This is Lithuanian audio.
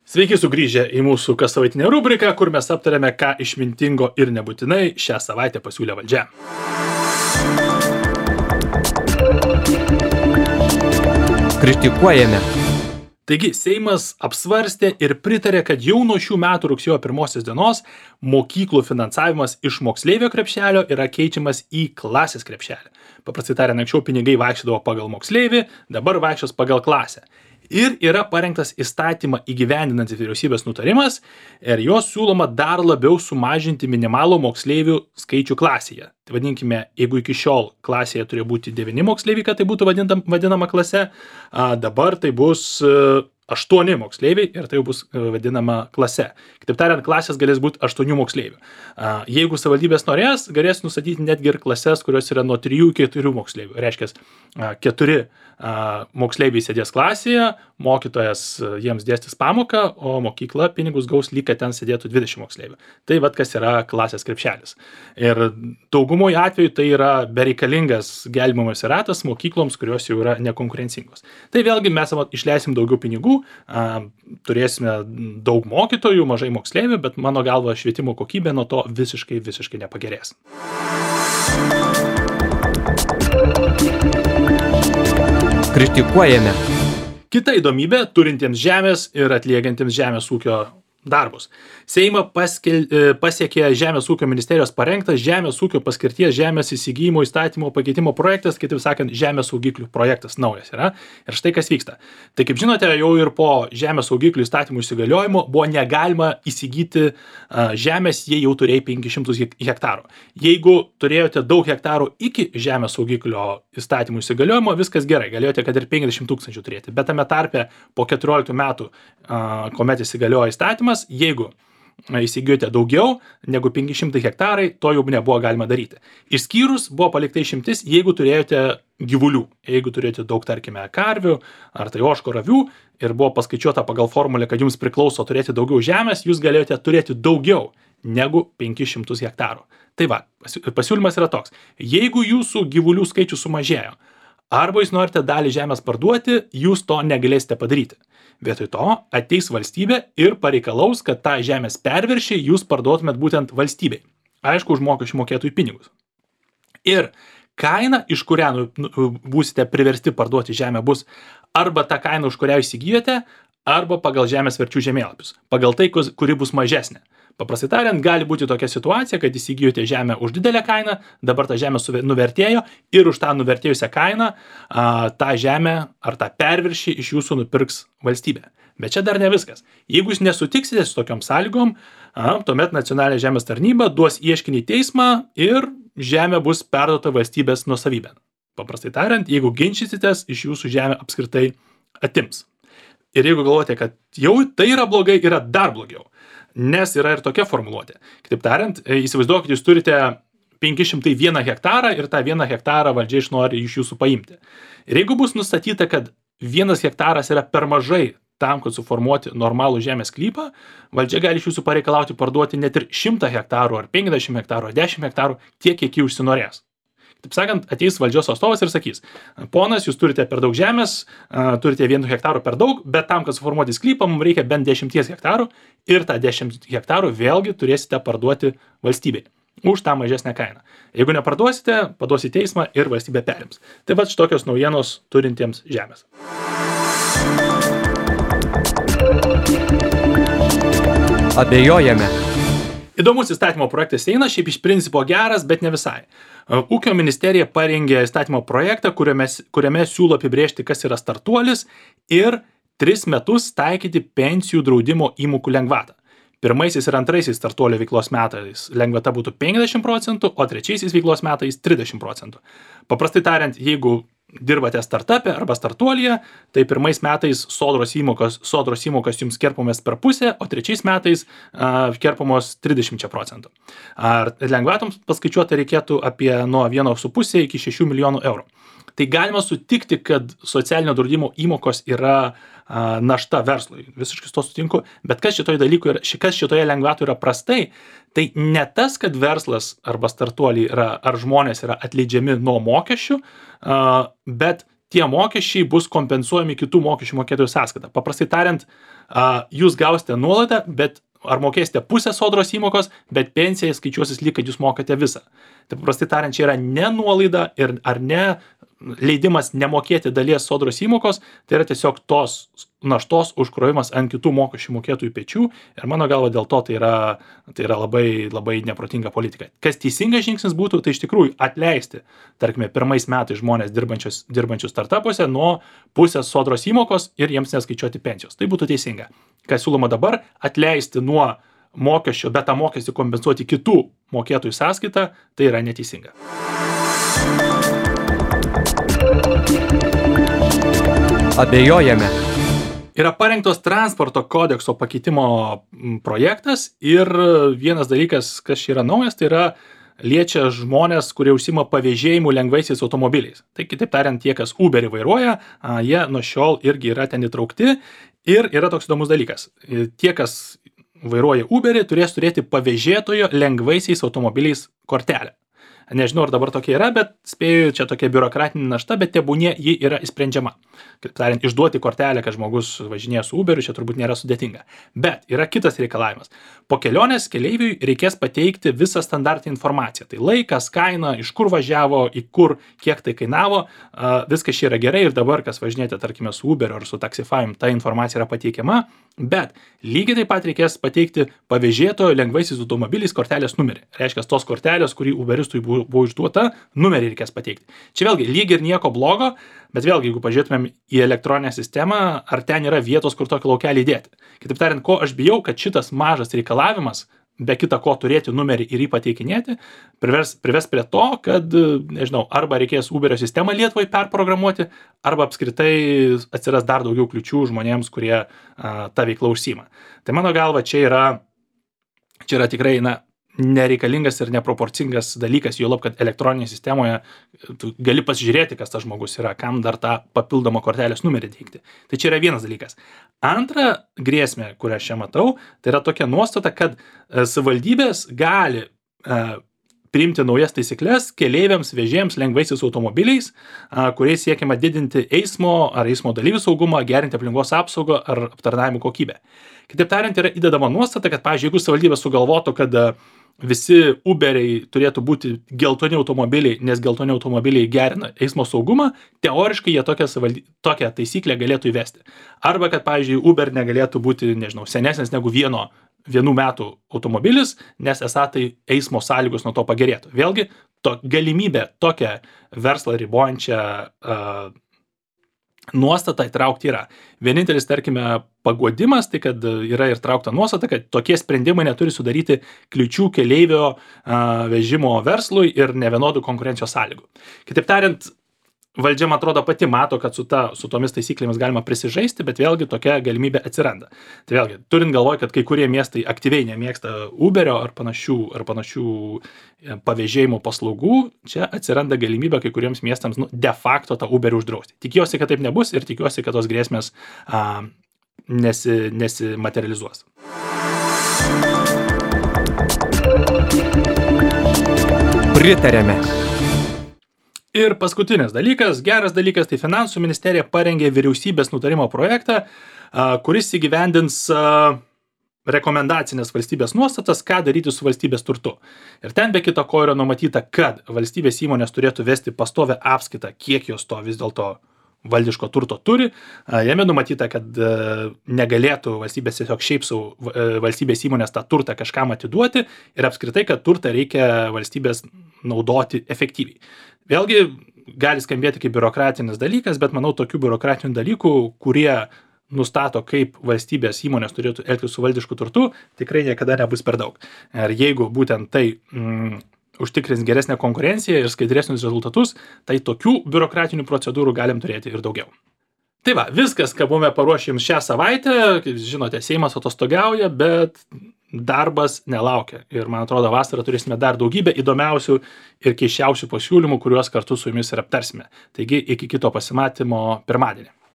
Sveiki sugrįžę į mūsų kassavaitinę rubriką, kur mes aptarėme, ką išmintingo ir nebūtinai šią savaitę pasiūlė valdžia. Kritikuojame. Taigi, Seimas apsvarstė ir pritarė, kad jau nuo šių metų rugsėjo 1 dienos mokyklų finansavimas iš moksleivio krepšelio yra keičiamas į klasės krepšelį. Paprastai tariant, anksčiau pinigai vaikščiodavo pagal moksleivį, dabar vaikščios pagal klasę. Ir yra parengtas įstatymą įgyvendinantis vyriausybės nutarimas ir jos siūloma dar labiau sumažinti minimalų moksleivių skaičių klasėje. Tai vadinkime, jeigu iki šiol klasėje turėjo būti 9 moksleiviai, kad tai būtų vadinama klase, dabar tai bus 8 moksleiviai ir tai jau bus vadinama klase. Kitaip tariant, klasės galės būti 8 moksleivių. Jeigu savivaldybės norės, galės nustatyti netgi ir klases, kurios yra nuo 3 iki 4 moksleivių. Reiškia, 4 moksleiviai sėdės klasėje, mokytojas jiems dėstys pamoką, o mokykla pinigus gaus lyg, kad ten sėdėtų 20 moksleivių. Tai vat kas yra klasės krepšelis. Ir daugumoje atveju tai yra bereikalingas gelbėjimas ratas mokykloms, kurios jau yra nekonkurencingos. Tai vėlgi mes išleisim daugiau pinigų, turėsime daug mokytojų, mažai moksleivių, bet mano galva švietimo kokybė nuo to visiškai nepagerės. Kritikuojame. Kita įdomybė turintiems žemės ir atliekantiems žemės ūkio darbus. Seimą pasiekė Žemės ūkio ministerijos parengtas Žemės ūkio paskirties žemės įsigijimo įstatymo pakeitimo projektas, kitaip sakant, žemės saugiklių projektas naujas yra. Ir štai kas vyksta. Tai kaip žinote, jau ir po žemės saugiklių įstatymų įsigaliojimo buvo negalima įsigyti žemės, jei jau turėjai 500 hektarų. Jeigu turėjote daug hektarų iki žemės saugiklio įstatymų įsigaliojimo, viskas gerai, galėjote kad ir 50 000 turėti. Bet tame tarpe po 14 metų, kuomet įsigaliojo įstatymas, jeigu įsigijote daugiau negu 500 hektarai, to jau nebuvo galima daryti. Išskyrus buvo palikta išimtis, jeigu turėjote gyvulių, jeigu turėjote daug, tarkime, karvių ar tai ožkų avių ir buvo paskaičiuota pagal formulę, kad jums priklauso turėti daugiau žemės, jūs galėjote turėti daugiau negu 500 hektarų. Tai va, pasiūlymas yra toks. Jeigu jūsų gyvulių skaičius sumažėjo, arba jūs norite dalį žemės parduoti, jūs to negalėsite padaryti. Vietoj to ateis valstybė ir pareikalaus, kad tą žemės perviršį jūs parduotumėt būtent valstybei. Aišku, už mokesčių mokėtojų pinigus. Ir kaina, iš kurią būsite priversti parduoti žemę, bus arba ta kaina, už kurią įsigijote, arba pagal žemės verčių žemėlapius. Pagal tai, kuri bus mažesnė. Paprastai tariant, gali būti tokia situacija, kad įsigijote žemę už didelę kainą, dabar ta žemė nuvertėjo ir už tą nuvertėjusią kainą tą žemę ar tą perviršį iš jūsų nupirks valstybė. Bet čia dar ne viskas. Jeigu jūs nesutiksite su tokiom sąlygom, tuomet nacionalinė žemės tarnyba duos ieškinį į teismą ir žemė bus perduota valstybės nuosavybėn. Paprastai tariant, jeigu ginčysitės, iš jūsų žemę apskritai atims. Ir jeigu galvojate, kad jau tai yra blogai, yra dar blogiau. Nes yra ir tokia formuluotė. Kitaip tariant, įsivaizduokit, jūs turite 501 hektarą ir tą 1 hektarą valdžia nori iš jūsų paimti. Ir jeigu bus nustatyta, kad 1 hektaras yra per mažai tam, kad suformuoti normalų žemės sklypą, valdžia gali iš jūsų pareikalauti parduoti net ir 100 hektarų ar 50 hektarų ar 10 hektarų tiek, kiek jį užsinorės. Taip sakant, ateis valdžios atstovas ir sakys, ponas, jūs turite per daug žemės, turite 1 hektarų per daug, bet tam, kad suformuoti sklypą, mums reikia bent 10 hektarų ir tą 10 hektarų vėlgi turėsite parduoti valstybei už tą mažesnę kainą. Jeigu neparduosite, paduosite teismą ir valstybė perims. Tai va šitokios naujienos turintiems žemės. Abejojame. Įdomus įstatymo projektas eina, šiaip iš principo geras, bet ne visai. Ūkio ministerija parengė įstatymo projektą, kuriame siūlo apibrėžti, kas yra startuolis ir 3 metus taikyti pensijų draudimo įmokų lengvatą. Pirmaisiais ir antraisiais startuolio veiklos metais lengvata būtų 50%, o trečiaisiais veiklos metais 30%. Paprastai tariant, jeigu dirbate startupė arba startuolyje, tai pirmais metais sodros įmokos jums kerpamės per pusę, o trečiais metais kerpamos 30%. Ar lengvatoms paskaičiuoti reikėtų apie nuo 1,5 iki 6 milijonų eurų. Tai galima sutikti, kad socialinio draudimo įmokos yra našta verslui. Visiškai to sutinku. Bet kas šitoje lengvatoje yra prastai, tai ne tas, kad verslas arba startuoliai ar žmonės yra atleidžiami nuo mokesčių, bet tie mokesčiai bus kompensuojami kitų mokesčių mokėtojų sąskaita. Paprastai tariant, jūs gausite nuolaidą, bet ar mokėsite pusę sodros įmokos, bet pensija skaičiuosis lyg, kad jūs mokate visą. Tai paprastai tariant, čia yra ne nuolaida ir ar ne leidimas nemokėti dalies sodros įmokos, tai yra tiesiog tos naštos užkrovimas ant kitų mokesčių mokėtojų pečių ir mano galva dėl to tai yra labai, labai neprotinga politika. Kas teisingas žingsnis būtų, tai iš tikrųjų atleisti, tarkime, pirmais metais žmonės dirbančius startupuose nuo pusės sodros įmokos ir jiems neskaičiuoti pensijos. Tai būtų teisinga. Kas siūloma dabar, atleisti nuo mokesčio, bet tą mokestį kompensuoti kitų mokėtojų sąskaitą, tai yra neteisinga. Abejojame. Yra parengtos transporto kodekso pakeitimo projektas ir vienas dalykas, kas čia yra naujas, tai yra liečia žmonės, kurie užsima pavėžėjimu lengvaisiais automobiliais. Tai kitaip tariant, tie, kas Uberį vairuoja, jie nuo šiol irgi yra ten įtraukti ir yra toks įdomus dalykas. Tie, kas vairuoja Uberį, turės turėti pavėžėtojo lengvaisiais automobiliais kortelę. Nežinau, ar dabar tokia yra, bet spėju, čia tokia biurokratinė našta, bet tebūnie ji yra įsprendžiama. Kaip tariant, išduoti kortelę, kad žmogus važinėja su Uberiu, čia turbūt nėra sudėtinga. Bet yra kitas reikalavimas. Po kelionės keleiviui reikės pateikti visą standartinę informaciją. Tai laikas, kaina, iš kur važiavo, į kur, kiek tai kainavo. Viskas čia yra gerai ir dabar, kas važinėte, tarkime, su Uberiu ar su Taxify, ta informacija yra pateikiama. Bet lygiai taip pat reikės pateikti pavėžėtojo lengvaisiais automobiliais kortelės numerį. Reiškia, tos kortelės, kurį Uberistui buvo išduota, numerį reikės pateikti. Čia vėlgi lyg ir nieko blogo, bet vėlgi, jeigu pažiūrėtumėm į elektroninę sistemą, ar ten yra vietos, kur tokį laukelį įdėti. Kitaip tariant, ko aš bijau, kad šitas mažas reikalavimas, be kita ko turėti numerį ir jį pateikinėti, prives prie to, kad, nežinau, arba reikės Uberio sistemą Lietuvai perprogramuoti, arba apskritai atsiras dar daugiau kliučių žmonėms, kurie tą veiklą užsiima. Tai mano galva, čia yra tikrai, nereikalingas ir neproporcingas dalykas, juolab, kad elektroninėje sistemoje tu gali pasižiūrėti, kas tas žmogus yra, kam dar tą papildomą kortelės numerį teikti. Tai čia yra vienas dalykas. Antra grėsmė, kurią aš čia matau, tai yra tokia nuostata, kad savivaldybės gali priimti naujas taisyklės keleiviams vežėjams lengvaisiais automobiliais, kuriais siekiama didinti eismo ar eismo dalyvių saugumą, gerinti aplinkos apsaugą ar aptarnavimo kokybę. Kitaip tariant, yra įdedama nuostata, kad, pavyzdžiui, jeigu savivaldybė sugalvotų, kad visi Uberiai turėtų būti geltoni automobiliai, nes geltoni automobiliai gerina eismo saugumą, teoriškai jie tokią taisyklę galėtų įvesti. Arba, kad, pavyzdžiui, Uber negalėtų būti, nežinau, senesnis negu vienų metų automobilis, nes esą tai eismo sąlygos nuo to pagerėtų. Vėlgi, galimybė tokią verslą ribojančią nuostatą įtraukti yra. Vienintelis, tarkime, paguodimas, tai kad yra ir traukta nuostata, kad tokie sprendimai neturi sudaryti kliučių keleivio vežimo verslui ir nevienodų konkurencijos sąlygų. Kitaip tariant, valdžia, man atrodo, pati mato, kad su tomis taisyklėmis galima prisižaisti, bet vėlgi tokia galimybė atsiranda. Tai vėlgi, turint galvoj, kad kai kurie miestai aktyviai nemėgsta Uberio ar panašių pavėžėjimo paslaugų, čia atsiranda galimybė kai kuriems miestams de facto tą Uberį uždrausti. Tikiuosi, kad taip nebus ir tikiuosi, kad tos grėsmės nesimaterializuos. Pritarėme. Ir paskutinis dalykas, geras dalykas, tai Finansų ministerija parengė vyriausybės nutarimo projektą, kuris įgyvendins rekomendacinės valstybės nuostatas, ką daryti su valstybės turtu. Ir ten be kita ko yra numatyta, kad valstybės įmonės turėtų vesti pastovę apskaitą, kiek jos to vis dėlto valdiško turto turi. Jame numatyta, kad negalėtų valstybės tiesiog šiaip valstybės įmonės tą turtą kažkam atiduoti ir apskritai, kad turtą reikia valstybės naudoti efektyviai. Vėlgi, gali skambėti kaip biurokratinis dalykas, bet manau, tokių biurokratinių dalykų, kurie nustato, kaip valstybės įmonės turėtų elgtis su valdišku turtu, tikrai niekada nebus per daug. Ir jeigu būtent tai užtikrins geresnę konkurenciją ir skaidresnius rezultatus, tai tokių biurokratinių procedūrų galim turėti ir daugiau. Tai va, viskas, ką buvome paruošę jums šią savaitę, kaip žinote, Seimas atostogauja, bet darbas nelaukia. Ir man atrodo, vasarą turėsime dar daugybę įdomiausių ir keisčiausių pasiūlymų, kuriuos kartu su jumis ir aptarsime. Taigi, iki kito pasimatymo pirmadienį.